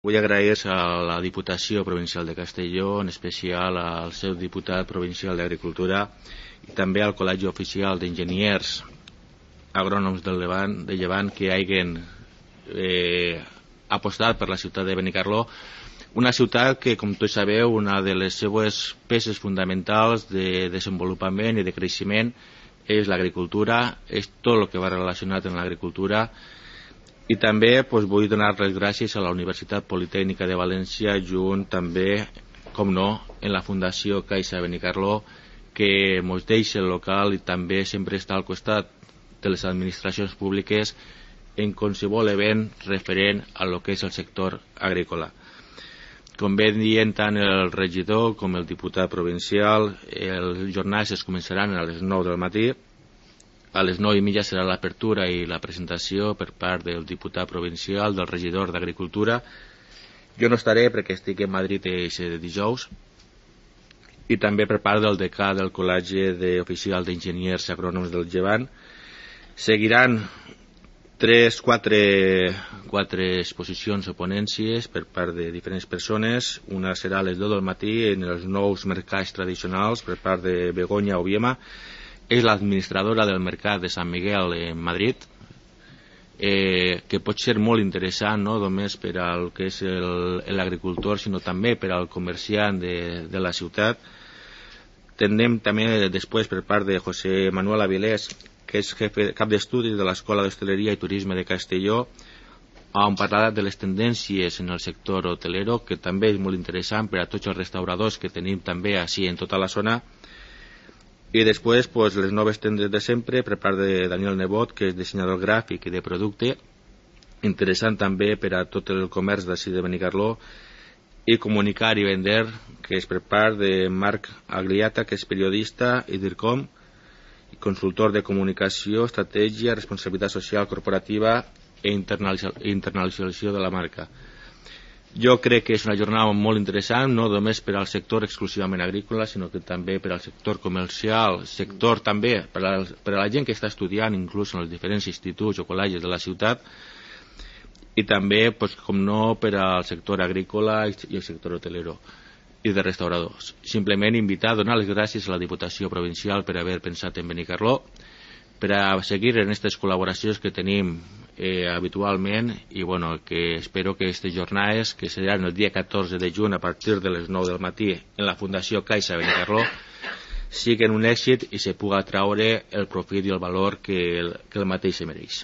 Vull agrair a la Diputació Provincial de Castelló, en especial al seu diputat provincial d'Agricultura i també al Col·legi Oficial d'Enginyers Agrònoms de Llevant que hagin apostat per la ciutat de Benicarló, una ciutat que, com tots sabeu, una de les seues peces fonamentals de desenvolupament i de creixement és l'agricultura, és tot el que va relacionat amb l'agricultura. I també vull donar les gràcies a la Universitat Politècnica de València, junt també, com no, en la Fundació Caixa Benicarló, que ens deixa el local i també sempre està al costat de les administracions públiques en qualsevol event referent a lo que és el sector agrícola. Com bé dient tant el regidor com el diputat provincial, els jornals es començaran a les 9 del matí. A les 9:30 serà l'apertura i la presentació per part del diputat provincial, del regidor d'Agricultura. Jo no estaré perquè estic en Madrid aquest dijous, i també per part del decà del Col·legi Oficial d'Enginyers Agrònoms del Llevant. Seguiran 4 exposicions o ponències per part de diferents persones. Una serà a les 2 del matí en els nous mercats tradicionals per part de Begoña Obiema. És l'administradora del mercat de Sant Miguel en Madrid, que pot ser molt interessant, no només per al que és l'agricultor, sinó també per al comerciant de la ciutat. Tindrem també després per part de José Manuel Avilés, que és cap d'estudis de l'Escola d'Hostaleria i Turisme de Castelló, on parlarà de les tendències en el sector hotelero, que també és molt interessant per a tots els restauradors que tenim també així en tota la zona. I després les noves tendes de sempre per part de Daniel Nebot, que és dissenyador gràfic i de producte, interessant també per a tot el comerç d'ací de Benicarló. I Comunicar i Vender, que és per part de Marc Agliata, que és periodista i DIRCOM, consultor de comunicació, estratègia, responsabilitat social corporativa i internacionalització de la marca. Jo crec que és una jornada molt interessant, no només per al sector exclusivament agrícola, sinó que també per al sector comercial, sector també per a la gent que està estudiant, inclús en els diferents instituts o col·legis de la ciutat, i també, com no, per al sector agrícola i el sector hotelero i de restauradors. Simplement invitar a donar les gràcies a la Diputació Provincial per haver pensat en Benicarló, per a seguir en aquestes col·laboracions que tenim habitualment, i que espero que aquestes jornades, que seran el dia 14 de juny a partir de les 9 del matí en la Fundació Caixa Benicarló, siguin un èxit i se pugui traure el profit i el valor que el mateix se mereix.